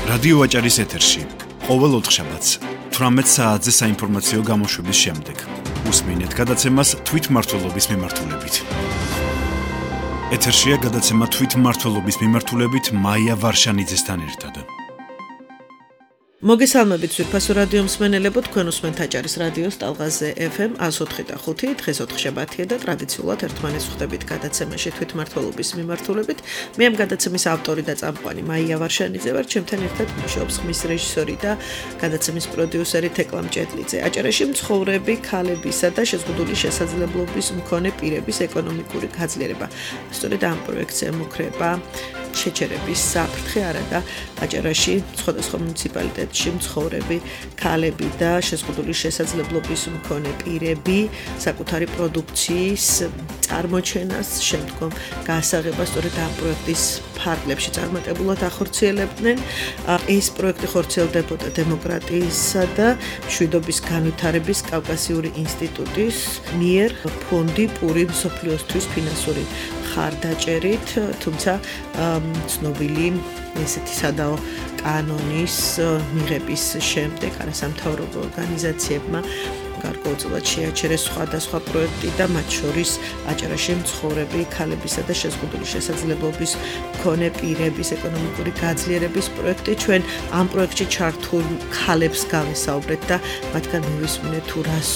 რადიო ვაჭარის ეთერში ყოველ ოთხშაბათს 18 საათზე საინფორმაციო გამოშვების შემდეგ უსმინეთ გადაცემას თვითმმართველობის მიმართულებით. ეთერშია გადაცემა თვითმმართველობის მიმართულებით მაია ვარშანიძესთან ერთად. მოგესალმებით ძვირფასო რადიო მსმენელებო, თქვენ უსმენთ აჭარის რადიოს ტალღაზე FM 104.5, დღეს ოთხშაბათია და ტრადიციულად ერთმანეთს ხვდებით გადაცემაში თვითმმართველობის მიმართულებით. მე ამ გადაცემის ავტორი და წამყვანი მაია ვარშანიძე ვარ, ჩემთან ერთად მუშაობს ხმის რეჟისორი და გადაცემის პროდიუსერი თეკლა მჭედლიძე. აჭარაში მცხოვრები ქალებისა და შეზღუდული შესაძლებლობის მქონე პირების ეკონომიკური გაძლიერება. სწორედ ამ პროექტს ემუქრება შეჩერების საფრთხე არადა აჭარაში სხვადასხვა მუნიციპალიტეტში მცხოვრები ქალები და შეზღუდული შესაძლებლობის მქონე პირები საკუთარი პროდუქციის წარმოჩენას შემდგომ გაასაღებას სწორედ ამ პროექტის ფარგლებში წარმატებულად ახორციელებდნენ. ეს პროექტი ხორციელდებოდა დემოკრატიისა და მშვიდობის განვითარების კავკასიური ინსტიტუტის მიერ ფონდი პური მსოფლიოსთვის ფინანსური ხარდაჭერით, თუმცა ცნობილი ესეთი სადაო კანონის მიღების შემდეგ არასამთავრობო ორგანიზაციებმა გარკვეულწილად შეაჩერეს სხვადასხვა პროექტი და მათ შორის აჭარაში მცხოვრები ქალებისა და შეზღუდული შესაძლებლობის მქონე პირების ეკონომიკური გაძლიერების პროექტი. ჩვენ ამ პროექტში ჩართულ ქალებს გავესაუბრეთ და მათგან მივისმინეთ თუ რას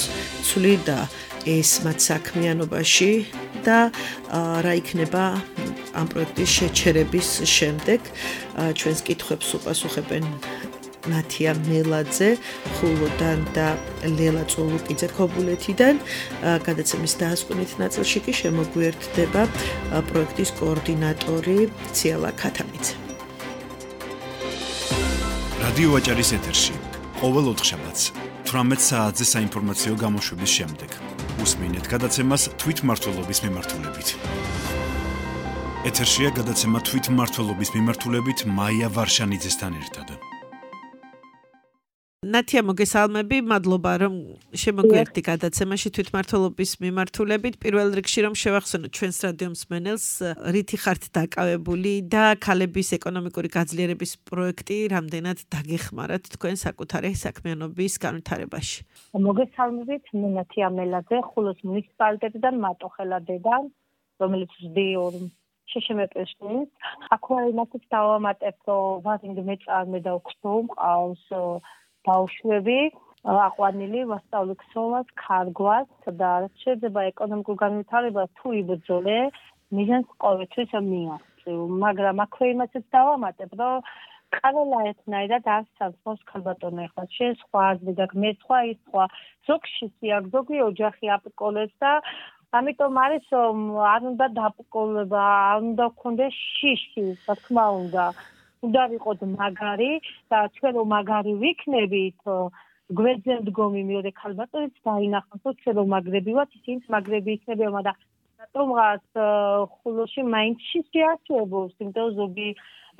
ცვლიდა ეს მათ საქმიანობაში და რა იქნება ამ პროექტის შეჩერების შემდეგ. ჩვენს კითხვებს უპასუხებენ ნათია მელაძე ხულოდან და ლელა წულუკიძე ქობულეთიდან. გადაცემის დაასკვნით ნაწილში კი შემოგვიერთდება პროექტის კოორდინატორი ციალა ქათამიძე. რადიო ვაჭარის ეთერში ყოველ ოთხშაბათს 18 საათზე საინფორმაციო გამოშვების შემდეგ უსმინეთ გადაცემას თვითმმართველობის მიმართულებით. ეთერშია გადაცემა თვითმმართველობის მიმართულებით მაია ვარშანიძესთან ერთად. ნათია, მოგესალმები, მადლობა რომ შემოგვიერთდი გადაცემაში თვითმმართველობის მიმართულებით. პირველ რიგში რომ შევახსენოთ ჩვენს რადიო მსმენელს, რითი ხართ დაკავებული და ქალების ეკონომიკური გაძლიერების პროექტი რამდენად დაგეხმარათ თქვენ საკუთარი საქმიანობის განვითარებაში. მოგესალმებით, მე ნათია მელაძე, ხულოს მუნიციპალიტეტიდან მატოხელადედან, რომელიც ვსდიორ შეშემეპეშნის. აქვე იმასაც დავამატებ, რომ ვარინგი მეწარმე და უქსო მყავს ბავშვები, აყვანილი ვასწავლი ქსოვას, ქარგვას და შეიძლება ეკონომიკურ განვითარებას თუ იბრძოლე, მიზანს ყოველთვის მიაღწევ. მაგრამ აქვე იმასაც დავამატებ, რომ ყველა ერთნაირად არ სამსხოს ქალბატონი ახლა შენ სხვა აზრი და მე სხვა ის სხვა. ზოგში სიაგ, ზოგი ოჯახი აპკოლებს და ამიტომ არის რომ არ უნდა დაპკოლება, არ უნდა გქონდეს შიში, რა თქმა უნდა. უნდა ვიყოთ მაგარი და ჩვენ რომ მაგარი ვიქნებით, გვერდზე მდგომი მეორე ქალბატონიც დაინახოს, რომ ჩვენ რომ მაგრები ვართ, ისინიც მაგრები იქნებიან, მაგრამ რატომღაც ხულოში მაინც შიში არსებობს, იმიტომ ზოგი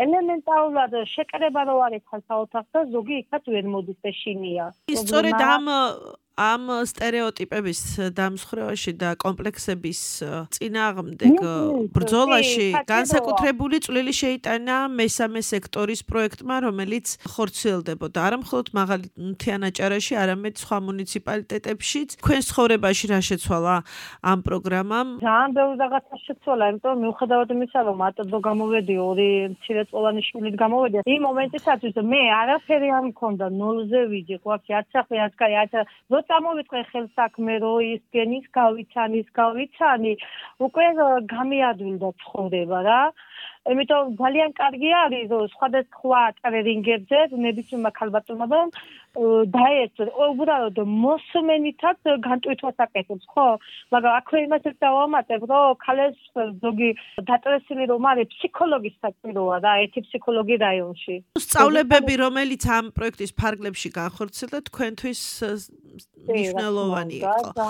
ელემენტარულად შეკრება რო არის ხალხაოთახს და ზოგი იქაც ვერ მოდის და შინია. სწორედ ამ სტერეოტიპების დამსხვრევაში და კომპლექსების წინააღმდეგ ბრძოლაში განსაკუთრებული წვლილი შეიტანა მესამე სექტორის პროექტმა, რომელიც ხორციელდებოდა არა მხოლოდ მაღალი მთიან აჭარაში, არამედ სხვა მუნიციპალიტეტებშიც. თქვენ ცხოვრებაში რა შეცვალა ამ პროგრამამ? ძალიან ბევრი რაღაცა შეცვალა, იმიტომ რომ მიუხედავად იმისა, რომ მარტო გამოვედი ორი მცირეწლოვანი შვილით გამოვედი, იმ მომენტისათვის მე არაფერი არ მქონდა, ნოლზე ვიდი, ყვაფი არც სახლი, არც კარი, არც წამოვიწყე ხელსაქმე, რომ ის გენის გავიცანი, უკვე გამიადვილდა ცხოვრება რა. იმიტომ ძალიან კარგი არის, რომ სხვადასხვა ტრენინგებზე ნებისმიერმა ქალბატონმა დაეცვა, უბრალოდ მოსმენითაც განტვირთვას აკეთებს, ხო? მაგრამ აქვე იმასაც დავამატებ, რომ ქალებს ზოგი დატრესილი რომ არის ფსიქოლოგის საჭიროა და ერთი ფსიქოლოგი რაიონში. სწავლებები, რომელიც ამ პროექტის ფარგლებში განხორციელდა, თქვენთვის მნიშვნელოვანი იყო.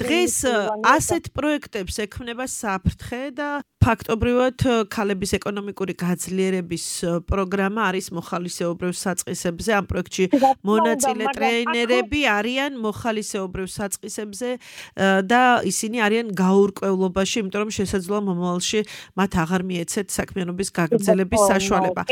დღეს ასეთ პროექტებს ექმნება საფრთხე და ფაქტობრივად ქალების ეკონომიკური გაძლიერების პროგრამა არის მოხალისეობრივ საწყისებზე. ამ პროექტში მონაწილე ტრეინერები არიან მოხალისეობრივ საწყისებზე და ისინი არიან გაურკვევლობაში, იმიტომ რომ შესაძლოა მომავალში მათ აღარ მიეცეთ საქმიანობის გაგრძელების საშუალება.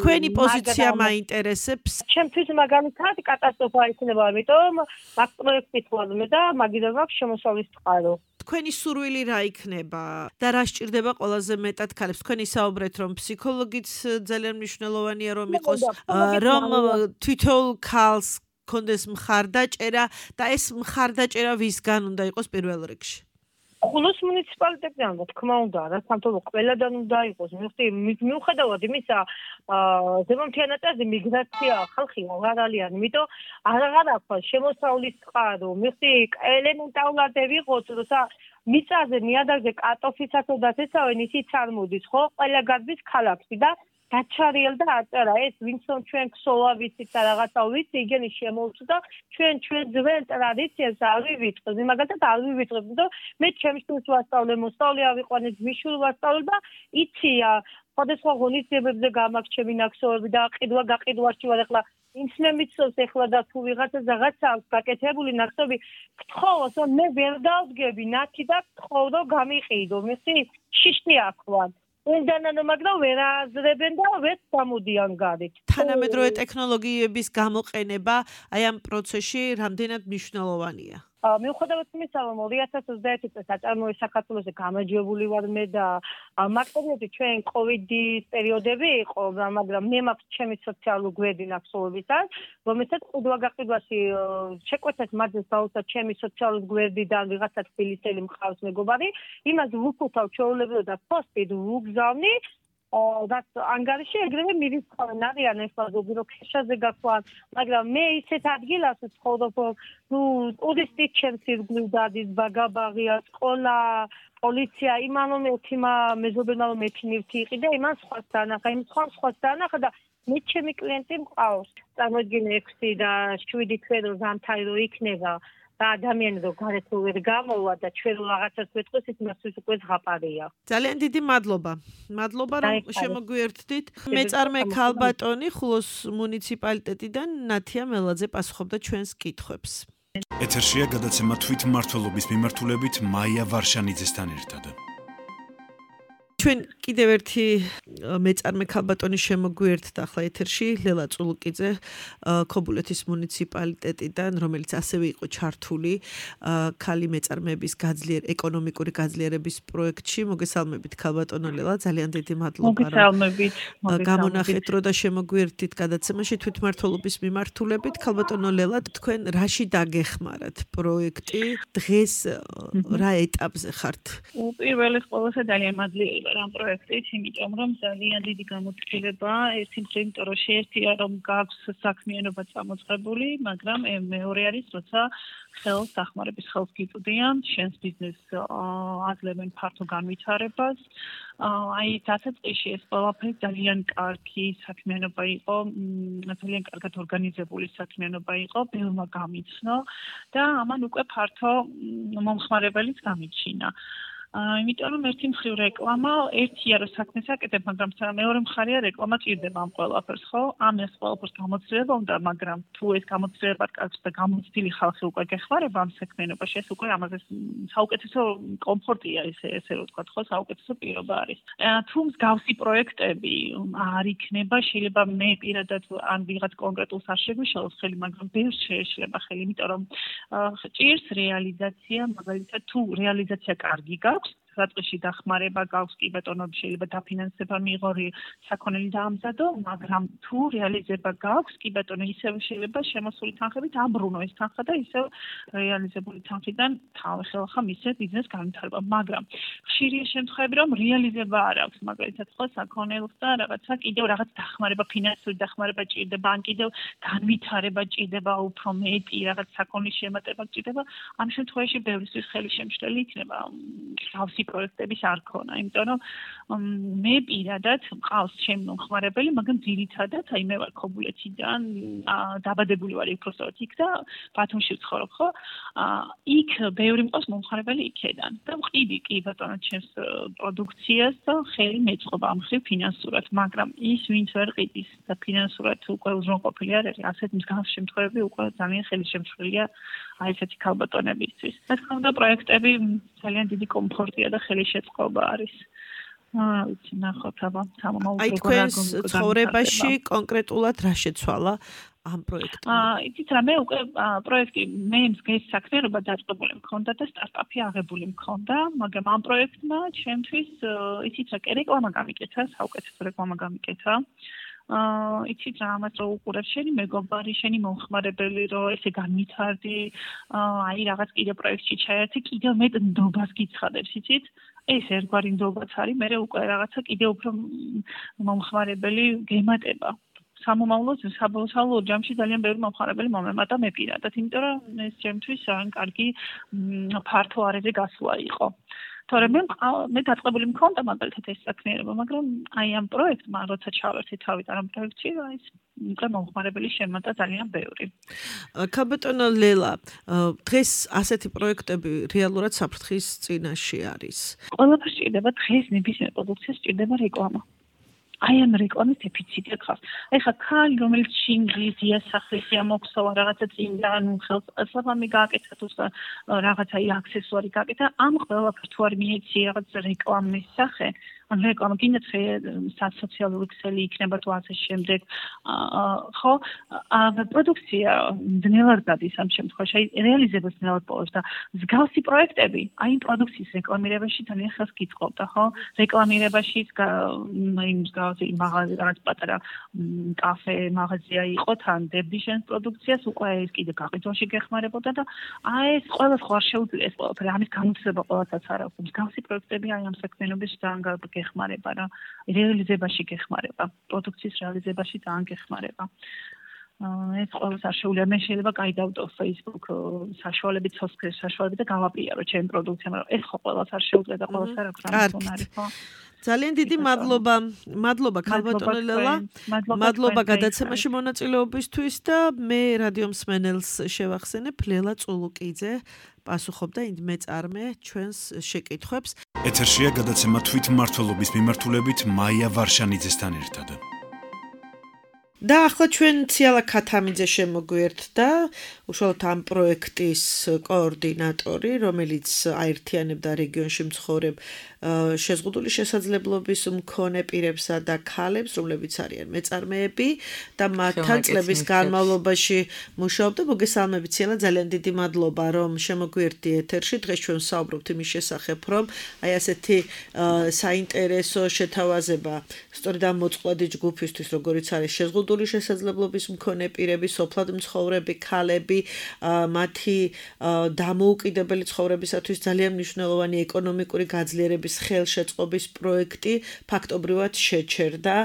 თქვენი პოზიცია მაინტერესებს. ჩემთვის მაგალითად კატასტროფა იქნება, იმიტომ მაგ პროექტით ვარ და მაგიდან მაქვს შემოსავლის წყარო. თქვენი სურვილი რა იქნება და რა სჭირდება ყველაზე მეტად ქალებს? თქვენ ისაუბრეთ, რომ ფსიქოლოგიც ძალიან მნიშვნელოვანია რომ იყოს, რომ თითოეულ ქალს კონდეს მხარდაჭერა და ეს მხარდაჭერა ვისგან უნდა იყოს პირველ რიგში? ხულოს მუნიციპალიტეტიდან, რა თქმა უნდა, რა სამთავრობო ყველადან უნდა იყოს. მიუხედავად იმისა, ზემოთიანატაზე მიგრაცია ხალხი აღარ არიან, იმიტომ აღარ აქვს შემოსავლის წყარო. ელემენტარულად ვიყოთ, როცა მიწაზე ნიადაგზე კარტოფილსაცოდაც ესავენ, ისიც არ მოდის, ხო? ყველა გადის ქალაქში და დაჩარიელ და აწერა ეს ვინცონ ჩვენ ქსოლა ვიცით და რაღაცა ვიცი, იგენი შემოვწდა ჩვენ ძველ ტრადიციებს არ ვივიწყებთ, მაგალითად არ ვივიწყებთ და მე ჩემს შვილს ვასწავლე, მოსწავლე ავიყვანე, მიშვილ ვასწავლე და იცია სხვადასხვა ღონისძიებებზე გამაქვს ჩემი ნაკსოვები და გაყიდვაში ვარ ახლა ინცნე მიცავს ახლა და თუ ვიღაცა რაღაცა აქვს გაკეთებული ნაკსოვი გთხოვოს რომ მე ვერ დავდგები ნათი და გთხოვ რომ გამიყიდო მესი შიშნი აქვთ უნდანანო მაგრამ ვერ აზრებენ და ვერ გამოდიან გარეთ. თანამედროვე ტექნოლოგიების გამოყენება აი ამ პროცესში რამდენად მნიშვნელოვანია? მიუხედავად იმისა, რომ 2021 წელს აწარმოე საქართველოში გამარჯვებული ვარ მე და მაგ პერიოდში ჩვენ კოვიდის პერიოდები იყო, მაგრამ მე მაქვს ჩემი სოციალური გვერდი ნაკსოვებიდან, რომელსაც ყიდვა-გაყიდვაში შეკვეცეთ მაძეს დაუცა ჩემი სოციალური გვერდიდან ვიღაცა თბილისელი მყავს მეგობარი, იმას ვუხუთავ ჩვეულებრივ და პოსტით ვუგზავნი და ანგარიში ეგრევე მივიწყავენ არიან ახლა ზოგი რო ქეშაზე გაქვთ, მაგრამ მე ისეთ ადგილას ვცხოვრობ, ტურისტი ჩემს ირგვლივ დადის, ბაგაბაღია, სკოლა, პოლიცია, იმან რომ ეთიმა მეზობელმა რომ ეთინივთი იყიდა, იმან სხვას დაანახა, იმ სხვას დაანახა და მე ჩემი კლიენტი მყავს. წარმოიდგინე 6 და 7 თვე რომ ზამთარი რო იქნება და ადამიანი რო გარეთ ვერ გამოვა და ჩვენ რაღაცას ვეთქოს ის მასთვის უკვე ზღაპარია. ძალიან დიდი მადლობა. მადლობა რომ შემოგვიერთდით. მეწარმე ქალბატონი ხულოს მუნიციპალიტეტიდან ნათია მელაძე პასუხობდა ჩვენს კითხვებს. ეთერშია გადაცემა თვითმმართველობის მიმართულებით მაია ვარშანიძესთან ერთად. ჩვენ კიდევ ერთი მეწარმე ქალბატონი შემოგვიერთდა ახლა ეთერში ლელა წულუკიძე ქობულეთის მუნიციპალიტეტიდან, რომელიც ასევე იყო ჩართული ქალი მეწარმეების ეკონომიკური გაძლიერების პროექტში. მოგესალმებით ქალბატონო ლელა, ძალიან დიდი მადლობა. მოგესალმებით. გამონახეთ რო და შემოგვიერთდით გადაცემაში თვითმმართველობის მიმართულებით. ქალბატონო ლელა, თქვენ რაში დაგეხმარათ პროექტი? დღეს რა ეტაპზე ხართ? პირველი ყველაზე ძალიან მადლიერება ამ პროექტით, იმიტომ რომ ძალიან დიდი გამოცდილება ერთი მხრივ, იმიტომ რომ შეერთია რომ გაქვს საქმიანობა წამოწყებული, მაგრამ მეორე არის, როცა ხელს დახმარების ხელს გიწვდიან, შენს ბიზნესს აძლევენ ფართო განვითარებას. აი დასაწყისში ეს ყველაფერი ძალიან კარგი საქმიანობა იყო, ძალიან კარგად ორგანიზებული საქმიანობა იყო, ბევრმა გამიცნო და ამან უკვე ფართო მომხმარებელიც გამიჩინა. იმიტომ რომ ერთი მხრივ რეკლამა ერთია რომ საქმეს აკეთებ, მაგრამ მეორე მხარია რეკლამა ჭირდება ამ ყველაფერს, ხო? ამას ყველაფერს გამოცდილება უნდა, მაგრამ თუ ეს გამოცდილება კარგს და გამოცდილი ხალხი უკვე გეხმარება ამ საქმიანობაში, ეს უკვე ამაზე საუკეთესო კომფორტია ესე რომ ვთქვა, ხო? საუკეთესო პირობა არის. თუ მსგავსი პროექტები არ იქნება, შეიძლება მე პირადად ან ვიღაც კონკრეტულს არ შეგვიშალოს ხელი, მაგრამ ბევრს შეეშლება ხელი, იმიტომ რომ ჭირს რეალიზაცია, მაგალითად თუ რეალიზაცია კარგი გაქვს, საწყისში დახმარება გაქვს, კი ბატონო, შეიძლება დაფინანსება მიიღო, საქონელი დაამზადო, მაგრამ თუ რეალიზება გაქვს, კი ბატონო, ისევ შეიძლება შემოსული თანხებით აბრუნო ეს თანხა და ისევ რეალიზებული თანხიდან თავი ხელახლა მისცეს ბიზნეს განვითარება, მაგრამ ხშირია შემთხვევები, რომ რეალიზება არ აქვს, მაგალითად, ხო, საქონელს და რაღაცა კიდევ რაღაც დახმარება, ფინანსური დახმარება ჭირდება, ან კიდევ განვითარება ჭირდება უფრო მეტი, რაღაც საქონლის შემატება ჭირდება, ამ შემთხვევაში ბევრისთვის ხელი შემშლელი იქნება. თავსი პროექტების არ ქონა, იმიტომ რომ მე პირადად მყავს ჩემი მომხმარებელი, მაგრამ ძირითადად აი მე ვარ ქობულეთიდან, დაბადებული ვარ უბრალოდ იქ და ბათუმში ვცხოვრობ, ხო? იქ ბევრი მყავს მომხმარებელი იქედან და ვყიდი კი ბატონო ჩემს პროდუქციას და ხელი მეწყობა ამ ხრივ ფინანსურად, მაგრამ ის ვინც ვერ ყიდის და ფინანსურად უკვე უზრუნყოფილი არ არის, ასეთ მსგავს შემთხვევები უკვე ძალიან ხელისშემშლელია აი ესეთი ქალბატონებისთვის. რა თქმა უნდა, პროექტები ძალიან დიდი კომფორტია და ხელისშეწყობა არის. ვიცი, ნახოთ აბა, სამომავლო აი თქვენს ცხოვრებაში კონკრეტულად რა შეცვალა ამ პროექტმა? იცით რა, მე უკვე პროექტი მე მსგავს საქმიანობა დაწყებული მქონდა და სტარტაპი აღებული მქონდა, მაგრამ ამ პროექტმა ჩემთვის იცით რა, რეკლამა გამიკეთა, საუკეთესო რეკლამა გამიკეთა. იცით რა, ამას რო უყურებ შენი მეგობარი, შენი მომხმარებელი, რომ ესე განვითარდი, აი რაღაც კიდე პროექტში ჩაერთი, კიდევ მეტ ნდობას გიცხადებს, იცით? ეს ერთგვარი ნდობაც არის, მე უკვე რაღაცა კიდე უფრო მომხმარებელი გემატება. სამომავლოდ საბოლოო ჯამში ძალიან ბევრი მომხმარებელი მომემატა მე პირადად, იმიტომ რომ ეს ჩემთვის ძალიან კარგი ფართო არეზე გასვლა იყო. თორემ მე დაწყებული მქონდა მაგალითად ეს საქმიანობა, მაგრამ აი ამ პროექტმა როცა ჩავერთე თავიდან ამ პროექტში, აი ეს უკვე მომხმარებელი შემატა ძალიან ბევრი. ქალბატონო ლელა, დღეს ასეთი პროექტები რეალურად საფრთხის წინაშე არის. ყველაფერს სჭირდება დღეს ნებისმიერ პროდუქციას სჭირდება რეკლამა. აი ამ რეკლამის დეფიციტი აქვს. ეხლა ქალი რომელიც შინგლის იასახლისია მოქსოვა რაღაცა წინდა, ანუ ხელსაფამი გააკეთა თუ რაღაცა აქსესუარი გააკეთა, ამ ყველაფერს თუ არ მიეცი რაღაც რეკლამის სახე, ან რეკლამა კიდე სოციალური ქსელი იქნება თუ ასე შემდეგ, ხო? პროდუქცია ძნელად გადის ამ შემთხვევაში, რეალიზებას ძნელად პოვებს და მსგავსი პროექტები აი იმ პროდუქციის რეკლამირებაში ძალიან ხელს გიწყობდა, ხო? რეკლამირებაში იმ მაღაზია რაღაც პატარა კაფე მაღაზია იყო თან დებდიშენ პროდუქციას უკვე ეს კიდე გაყიდვაში გეხმარებოდა და აი ეს ყველას ხარ შეუძლია ეს ყველაფერი ამის განმცდება ყველასაც არ აქვს მსგავსი პროექტები აი ამ საქმიანობის ძალიან გეხმარება რა რეალიზებაში გეხმარება პროდუქციის რეალიზებაში ძალიან გეხმარება ეს ყველას არ შეუძლია მე შეიძლება გაიდავდო Facebook საშუალებით სოციალური საშუალებით და გავაპირო ჩემი პროდუქცია მაგრამ ეს ხო ყველას არ შეუძლია და ყველას არ აქვს ამის უნარი ხო ძალიან დიდი მადლობა ქალბატონო ლელა მადლობა გადაცემაში მონაწილეობისთვის და მე რადიო მსმენელს შევახსენებ ლელა წულუკიძე პასუხობდა მეწარმე ჩვენს შეკითხვებს ეთერშია გადაცემა თვითმმართველობის მიმართულებით მაია ვარშანიძესთან ერთად და ახლა ჩვენ ციალა ქათამიძე შემოგვიერთდა უშუალოდ ამ პროექტის კოორდინატორი რომელიც აერთიანებდა რეგიონში მცხოვრებ შეზღუდული შესაძლებლობის მქონე პირებსა და ქალებს რომლებიც არიან მეწარმეები და მათთან წლების განმავლობაში მუშაობდა მოგესალმებით ციალა ძალიან დიდი მადლობა რომ შემოგვიერთდი ეთერში დღეს ჩვენ საუბრობთ იმის შესახებ რომ აი ასეთი საინტერესო შეთავაზება სწორედ ამ მოწყვლადი ჯგუფისთვის როგორიც არის შეზღუდული შესაძლებლობის მქონე პირები, სოფლად მცხოვრები ქალები, მათი დამოუკიდებელი ცხოვრებისათვის ძალიან მნიშვნელოვანი ეკონომიკური გაძლიერების ხელშეწყობის პროექტი ფაქტობრივად შეჩერდა.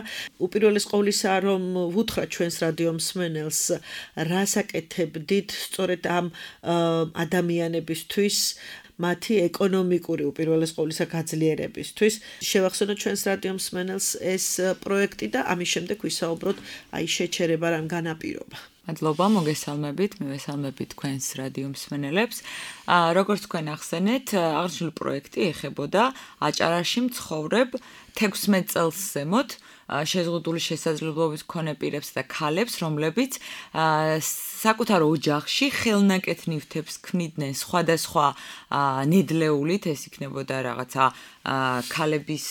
უპირველეს ყოვლისა, რომ ვუთხრათ ჩვენს რადიო მსმენელს, რას აკეთებდით სწორედ ამ ადამიანებისთვის მათი ეკონომიკური უპირველეს ყოვლისა გაძლიერებისთვის. შევახსენოთ ჩვენს რადიო მსმენელს ეს პროექტი და ამის შემდეგ ვისაუბროთ აი შეჩერება რამ განაპირობა. მადლობა, მოგესალმებით, მივესალმებით თქვენს რადიო მსმენელებს. როგორც თქვენ ახსენეთ, აღნიშნული პროექტი ეხებოდა აჭარაში მცხოვრებ 16 წელს ზემოთ შეზღუდული შესაძლებლობის მქონე პირებს და ქალებს, რომლებიც საკუთარ ოჯახში ხელნაკეთ ნივთებს ქმნიდნენ სხვადასხვა ნედლეულით, ეს იქნებოდა რაღაცა ქალების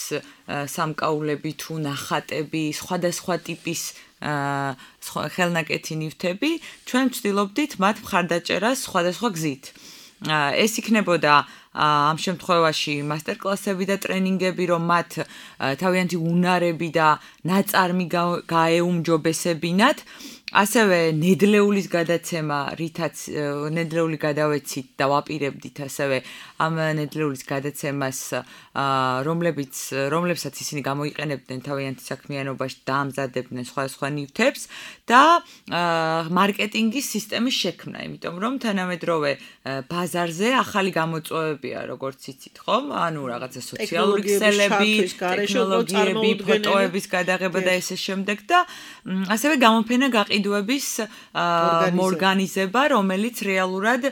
სამკაულები თუ ნახატები, სხვადასხვა ტიპის ხელნაკეთი ნივთები, ჩვენ ვცდილობდით მათ მხარდაჭერას სხვადასხვა გზით. ეს იქნებოდა ამ შემთხვევაში მასტერკლასები და ტრენინგები, რომ მათ თავიანთი უნარები და ნაწარმი გაეუმჯობესებინათ. ასევე ნედლეულის გადაცემა, რითაც ნედლეული გადავეცით და ვაპირებდით ასევე ამ ნედლეულის გადაცემას, რომლებსაც ისინი გამოიყენებდნენ თავიანთი საქმიანობაში და ამზადებდნენ სხვადასხვა ნივთებს და მარკეტინგის სისტემის შექმნა, იმიტომ რომ თანამედროვე ბაზარზე ახალი გამოწვევებია, როგორც იცით, ხომ? ანუ რაღაცა სოციალური ქსელები, ტექნოლოგიები, ფოტოების გადაღება და ესე შემდეგ და ასევე გამოფენა გაყიდვების ორგანიზება, რომელიც რეალურად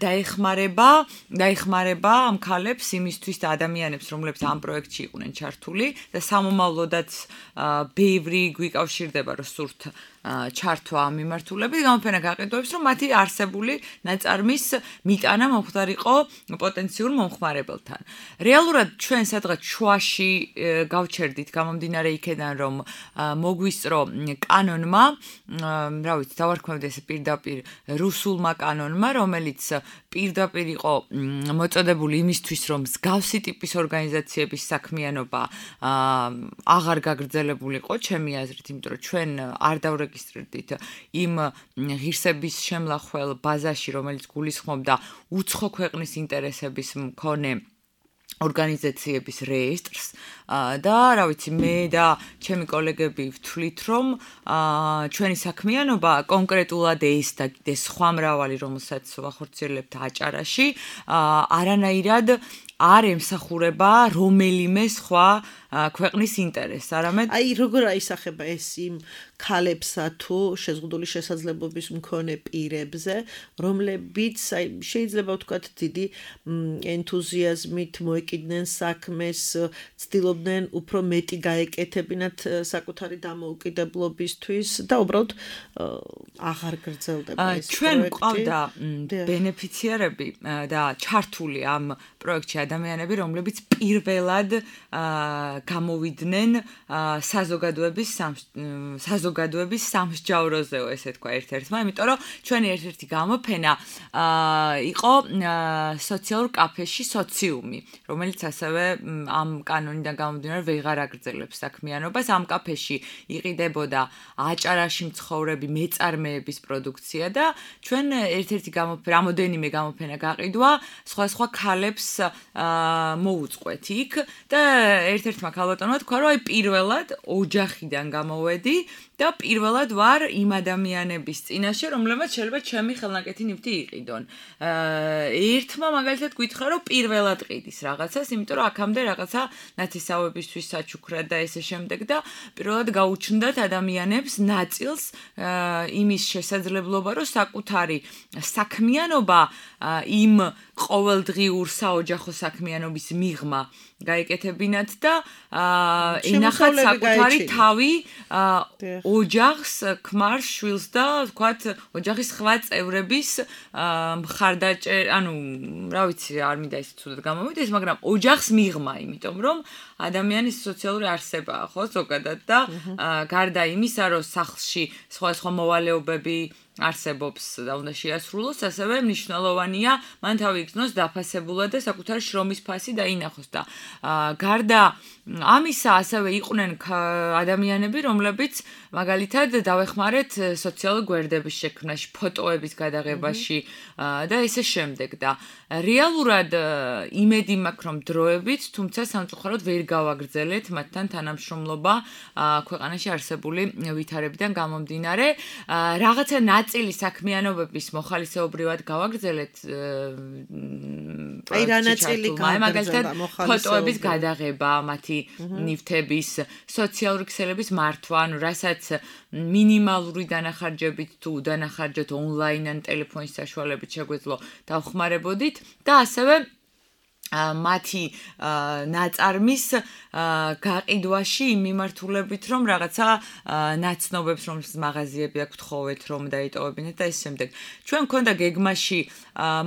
დაეხმარება ამ ქალებს იმისთვის და ადამიანებს, რომლებიც ამ პროექტში იყვნენ ჩართული და სამომავლოდაც ბევრი გვიკავშირდება, რომ სურთ ჩართვა ამ მიმართულებით, გამოფენა გაყიდვებს, რომ მათი არსებული ნაწარმის მიტანა მომხდარიყო პოტენციურ მომხმარებელთან. რეალურად ჩვენ სადღაც შუაში გავჩერდით გამომდინარე იქედან, რომ მოგვისწრო კანონმა, რა ვიცი, დავარქმევდი ესე პირდაპირ რუსულმა კანონმა, რომელიც პირდაპირ იყო მოწოდებული იმისთვის, რომ მსგავსი ტიპის ორგანიზაციების საქმიანობა აღარ გაგრძელებულიყო, ჩემი აზრით, იმიტომ რომ ჩვენ არ დავრეგისტრირდით იმ ღირსების შემლახველ ბაზაში, რომელიც გულისხმობდა უცხო ქვეყნის ინტერესების მქონე ორგანიზაციების რეესტრს და რა ვიცი მე და ჩემი კოლეგები ვთვლით რომ ჩვენი საქმიანობა კონკრეტულად ეს და სხვა მრავალი რომელსაც ვახორციელებთ აჭარაში არანაირად არ ემსახურება რომელიმე სხვა ქვეყნის ინტერესს, არამედ აი როგორ აისახება ეს იმ ქალებსა თუ შეზღუდული შესაძლებლობის მქონე პირებზე, რომლებიც შეიძლება ვთქვათ დიდი ენთუზიაზმით მოეკიდნენ საქმეს, ცდილობდნენ უფრო მეტი გაეკეთებინათ საკუთარი დამოუკიდებლობისთვის და უბრალოდ აღარ გრძელდება ეს პროექტი. ჩვენ ყავდა ბენეფიციარები და ჩართული ამ პროექტში ადამიანები, რომლებიც პირველად გამოვიდნენ საზოგადოების სამსჯავროზეო, ესე თქვა ერთ-ერთმა, იმიტომ რომ ჩვენი ერთ-ერთი გამოფენა იყო სოციალურ კაფეში სოციუმი, რომელიც ასევე ამ კანონიდან გამომდინარე ვეღარ აგრძელებს საქმიანობას. ამ კაფეში იყიდებოდა აჭარაში მცხოვრები მეწარმეების პროდუქცია და ჩვენ ერთ-ერთი რამოდენიმე გამოფენა გაყიდვა სხვა ქალებს მოუწყვეთ იქ და ერთ-ერთმა ქალბატონმა თქვა, რომ აი პირველად ოჯახიდან გამოვედი და პირველად ვარ იმ ადამიანების წინაშე, რომლებმაც შეიძლება ჩემი ხელნაკეთი ნივთი იყიდონ. ერთმა მაგალითად გითხრა, რომ პირველად ყიდის რაღაცას, იმიტომ რომ აქამდე რაღაცა ნათესავებისთვის საჩუქრად და ესე შემდეგ და პირველად გაუჩნდათ ადამიანებს ნაწილს იმის შესაძლებლობა, რომ საკუთარი საქმიანობა იმ ყოველდღიურ საოჯახო საქმიანობის მიღმა გაეკეთებინათ და ენახათ საკუთარი თავი ოჯახს, ქმარს, შვილს და ვთქვათ, ოჯახის სხვა წევრების ანუ რა ვიცი, არ მინდა ისე ცუდად გამომიდეს, მაგრამ ოჯახს მიღმა, იმიტომ რომ ადამიანის სოციალური არსებაა, ხო, ზოგადად და გარდა იმისა, რომ სახლში სხვა მოვალეობები არსებობს და უნდა შეასრულოს, ასევე მნიშვნელოვანია მან თავი იგრძნოს დაფასებულად და საკუთარი შრომის ფასი დაინახოს და გარდა ამისა ასევე იყვნენ ადამიანები, რომლებიც მაგალითად დავეხმარეთ სოციალური გვერდების შექმნაში, ფოტოების გადაღებაში და ესე შემდეგ და რეალურად იმედი მაქვს, რომ დროებით, თუმცა სამწუხაროდ ვერ გავაგრძელეთ მათთან თანამშრომლობა ქვეყანაში არსებული ვითარებიდან გამომდინარე. რაღაცა ნაწილი საქმიანობების მოხალისეობრივად გავაგრძელეთ აი რა ნაწილი მაგალითად ფოტოების გადაღება, მათი ნივთების, სოციალური ქსელების მართვა, ანუ რასაც მინიმალური დანახარჯებით თუ უდანახარჯეთ ონლაინ ან ტელეფონის საშუალებით შეგვეძლო დავხმარებოდით და ასევე მათი ნაწარმის გაყიდვაში იმ მიმართულებით, რომ რაღაცა ნაცნობებს, რომელსაც მაღაზიები აქვს თხოვეთ, რომ დაიტოვებინათ და ეს შემდეგ. ჩვენ მქონდა გეგმაში,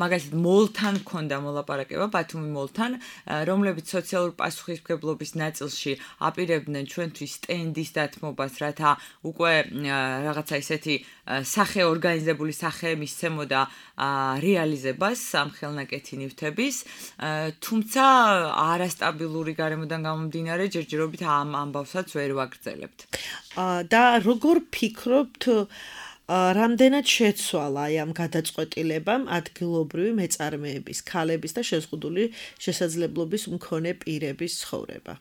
მაგალითად მოლთან მქონდა მოლაპარაკება, ბათუმი მოლთან, რომლებიც სოციალურ პასუხისმგებლობის ნაწილში აპირებდნენ ჩვენთვის სტენდის დათმობას, რათა უკვე რაღაცა ისეთი ორგანიზებული სახე მისცემოდა რეალიზებას ამ ხელნაკეთი ნივთების. თუმცა არასტაბილური გარემოდან გამომდინარე ჯერჯერობით ამ ამბავსაც ვერ ვაგრძელებთ. და როგორ ფიქრობთ რამდენად შეცვალა ამ გადაწყვეტილებამ ადგილობრივი მეწარმეების, ქალების და შეზღუდული შესაძლებლობის მქონე პირების ცხოვრება?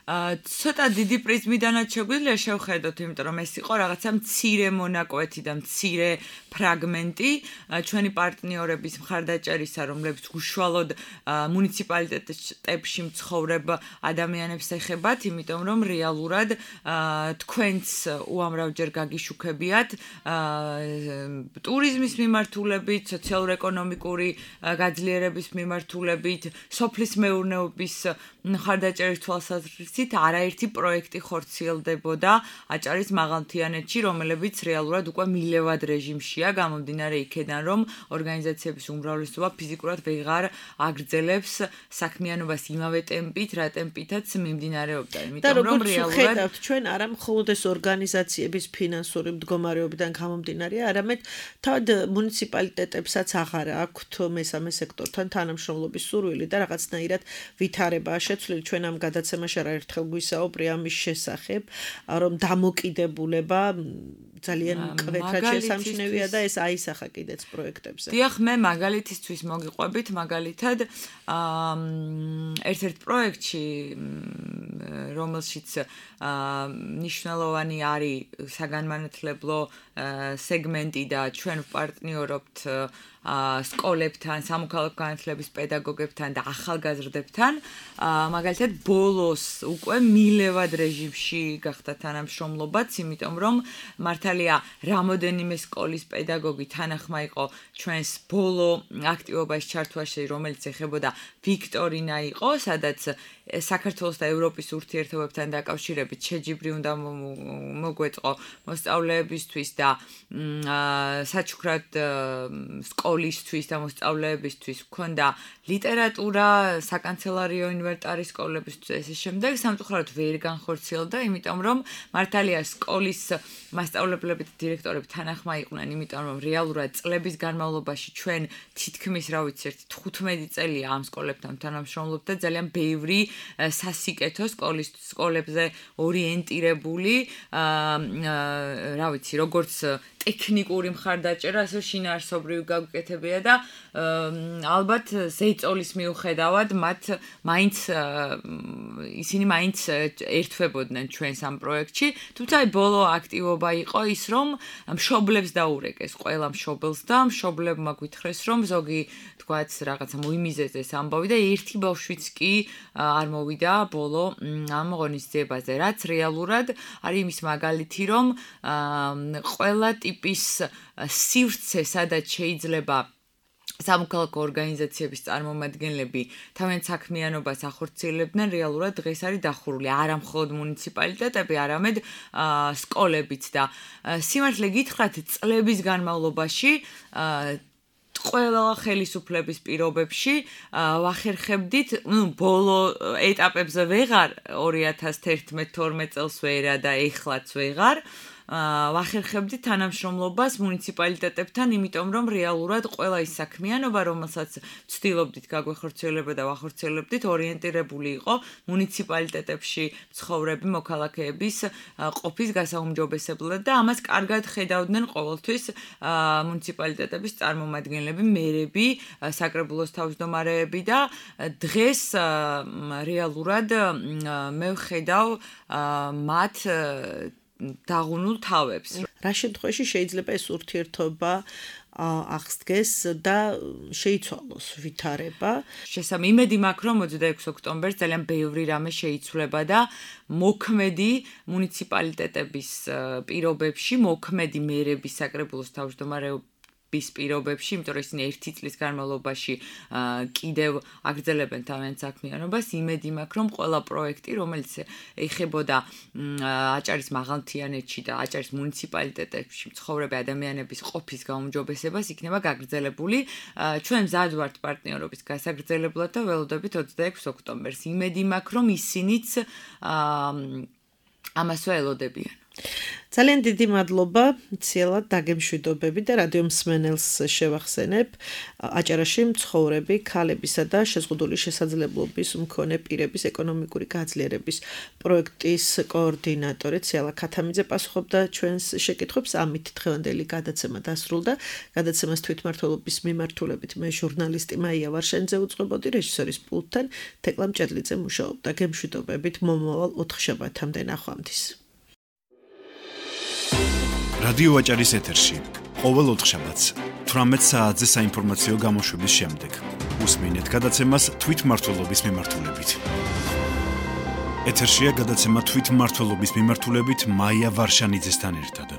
ცოტა დიდი პრიზმიდანაც შეგვიძლია შევხედოთ, იმიტომ რომ ეს იყო რაღაცა მცირე მონაკვეთი და მცირე ფრაგმენტი ჩვენი პარტნიორების მხარდაჭერისა, რომლებიც უშუალოდ მუნიციპალიტეტებში მცხოვრებ ადამიანებს ეხებათ, იმიტომ რომ რეალურად თქვენც უამრავჯერ გაგიშუქებიათ ტურიზმის მიმართულებით, სოციალურ-ეკონომიკური გაძლიერების მიმართულებით, სოფლის მეურნეობის მხარდაჭერის თვალსაზრისით არაერთი პროექტი ხორციელდებოდა აჭარის მაღალმთიანეთში, რომლებიც რეალურად უკვე მილევად რეჟიმშია, გამომდინარე იქედან, რომ ორგანიზაციების უმრავლესობა ფიზიკურად ვეღარ აგრძელებს საქმიანობას იმავე ტემპით, რა ტემპითაც მიმდინარეობდა. იმიტომ რომ რეალურად ჩვენ არა მხოლოდ ეს ორგანიზაციების ფინანსური მდგომარეობიდან გამომდინარე, არამედ თავად მუნიციპალიტეტებსაც აღარ აქვთ მესამე სექტორთან თანამშრომლობის სურვილი და რაღაცნაირად ვითარებაა შეცვლილი. ჩვენ ამ გადაცემაში არაერთხელ გვისაუბრე ამის შესახებ, რომ დამოკიდებულება ძალიან მკვეთრად შესამჩნევია და ეს აისახა კიდეც პროექტებზე. დიახ, მე მაგალითისთვის მოგიყვებით, მაგალითად ერთ-ერთ პროექტში, რომელშიც მნიშვნელოვანი არის საგანმანათლებლო სეგმენტი და ჩვენ ვპარტნიორობთ სკოლებთან, სამოქალაქო განათლების პედაგოგებთან და ახალგაზრდებთან, მაგალითად ბოლოს უკვე მილევად რეჟიმში გახდა თანამშრომლობაც, იმიტომ რომ მართალია რამოდენიმე სკოლის პედაგოგი თანახმა იყო ჩვენს ბოლო აქტივობაში ჩართვაში, რომელიც ეხებოდა ვიქტორინა იყო, სადაც საქართველოს და ევროპის ურთიერთობებთან დაკავშირებით შეჯიბრი უნდა მოგვეწყო მოსწავლეებისთვის და საჩუქრად სკოლისთვის და მოსწავლეებისთვის ჰქონდა ლიტერატურა, საკანცელარიო ინვენტარი სკოლებისთვის ესე შემდეგ, სამწუხაროდ ვერ განხორციელდა, იმიტომ რომ მართალია სკოლის მასწავლებლები და დირექტორები თანახმა იყვნენ, იმიტომ რომ რეალურად წლების განმავლობაში ჩვენ თითქმის, რა ვიცი, 15 წელია ამ სკოლებთან თანამშრომლობთ და ძალიან ბევრი სასიკეთო სკოლებზე ორიენტირებული, რა ვიცი, როგორც ტექნიკური მხარდაჭერა, ასე შინაარსობრივი გაუკეთებია და ალბათ ზეწოლის მიუხედავად ისინი მაინც ერთვებოდნენ ჩვენს ამ პროექტში, თუმცა ბოლო აქტივობა იყო ის, რომ მშობლებს დაურეკეს, ყველა მშობელს და მშობლებმა გითხრეს, რომ ზოგი თქვაც რაღაცა მოიმიზეს ამბავი და ერთი ბავშვიც კი არ მოვიდა ბოლო ამ ღონისძიებაზე, რაც რეალურად არის იმის მაგალითი, რომ ყველა ტიპის სივრცე, სადაც შეიძლება სამოქალაქო ორგანიზაციების წარმომადგენლები თავიანთ საქმიანობას ახორციელებდნენ, რეალურად დღეს არის დახურული არა მხოლოდ მუნიციპალიტეტები, არამედ სკოლებიც და სიმართლე გითხრათ, წლების განმავლობაში ყველა ხელისუფლების პირობებში ვახერხებდით, ბოლო ეტაპებზე ვეღარ 2011-12 წელს ვერა და ეხლაც ვეღარ ვახერხებდით თანამშრომლობას მუნიციპალიტეტებთან, იმიტომ რომ რეალურად ყველა ის საქმიანობა, რომელსაც ვცდილობდით გაგვეხორციელება და ვახორციელებდით, ორიენტირებული იყო მუნიციპალიტეტებში მცხოვრები მოქალაქეების ყოფის გასაუმჯობესებლად და ამას კარგად ხედავდნენ ყოველთვის მუნიციპალიტეტების წარმომადგენლები, მერები, საკრებულოს თავმჯდომარეები და დღეს რეალურად მე ვხედავ მათ დაღუნულ თავებს. რა შემთხვევაში შეიძლება ეს ურთიერთობა აღსდგეს და შეიცვალოს ვითარება? იმედი მაქვს, რომ 26 ოქტომბერს ძალიან ბევრი რამე შეიცვლება და მოქმედი მუნიციპალიტეტების პირობებში, მოქმედი მერების საკრებულოს თავმჯდომარეობის პირობებში, იმიტომ რომ ისინი ერთი წლის განმავლობაში კიდევ აგრძელებენ თავიანთ საქმიანობას, იმედი მაქვს, რომ ყველა პროექტი, რომელიც ეხებოდა აჭარის მაღალმთიანეთში და აჭარის მუნიციპალიტეტებში მცხოვრები ადამიანების ყოფის გაუმჯობესებას, იქნება გაგრძელებული. ჩვენ მზად ვართ პარტნიორობის გასაგრძელებლად და ველოდებით 26 ოქტომბერს. იმედი მაქვს, რომ ისინიც ამასვე ელოდებიან. ძალიან დიდი მადლობა, ციელად დაგემშვიდობები და რადიო მსმენელს შევახსენებ. აჭარაში მცხოვრები ქალებისა და შეზღუდული შესაძლებლობის მქონე პირების ეკონომიკური გაძლიერების პროექტის კოორდინატორი ციელა ქათამიძე პასუხობდა ჩვენს შეკითხვებს. ამით დღევანდელი გადაცემა დასრულდა. გადაცემას თვითმმართველობის მიმართულებით მე ჟურნალისტი მაია ვარშენიძე უწყებოდი, რეჟისორის პულტთან თეკლა მჭედლიძე მუშაობდა. გემშვიდობებით მომავალ 4 შაბათამდე ნახვამდის. რადიო აჭარის ეთერში ყოველ 4 შაბათს 18 საათზე საინფორმაციო გამოშვების შემდეგ უსმინეთ გადაცემას თვითმმართველობის მიმართულებით. ეთერშია გადაცემა თვითმმართველობის მიმართულებით მაია ვარშანიძესთან ერთად.